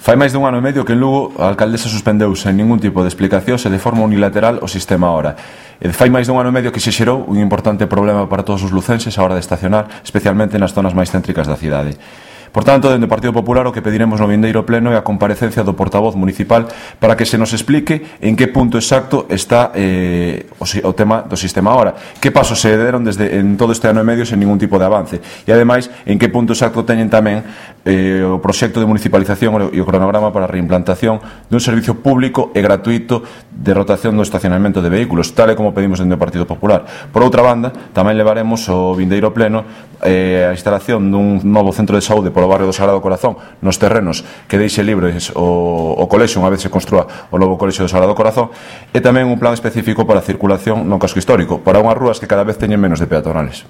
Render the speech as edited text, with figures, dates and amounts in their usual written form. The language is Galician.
Fai máis dun ano e medio que en Lugo a alcaldesa suspendeu sen ningún tipo de explicación e de forma unilateral o sistema Hora. Fai máis dun ano e medio que se xerou un importante problema para todos os lucenses a hora de estacionar, especialmente nas zonas máis céntricas da cidade. Por tanto, dende o Partido Popular o que pediremos no vindeiro pleno é a comparecencia do portavoz municipal para que se nos explique en que punto exacto está o tema do sistema Hora, que pasos se deron en todo este ano e medio sen ningún tipo de avance e ademais en que punto exacto teñen tamén o proxecto de municipalización e o cronograma para a reimplantación dun servicio público e gratuito de rotación do estacionamento de vehículos, tal e como pedimos dende o Partido Popular. Por outra banda, tamén levaremos ao vindeiro pleno a instalación dun novo centro de saúde polo barrio do Sagrado Corazón nos terrenos que deixe libres o colexio unha vez se construa o novo colexio do Sagrado Corazón e tamén un plan específico para a circulación no casco histórico para unhas rúas que cada vez teñen menos de peatonales.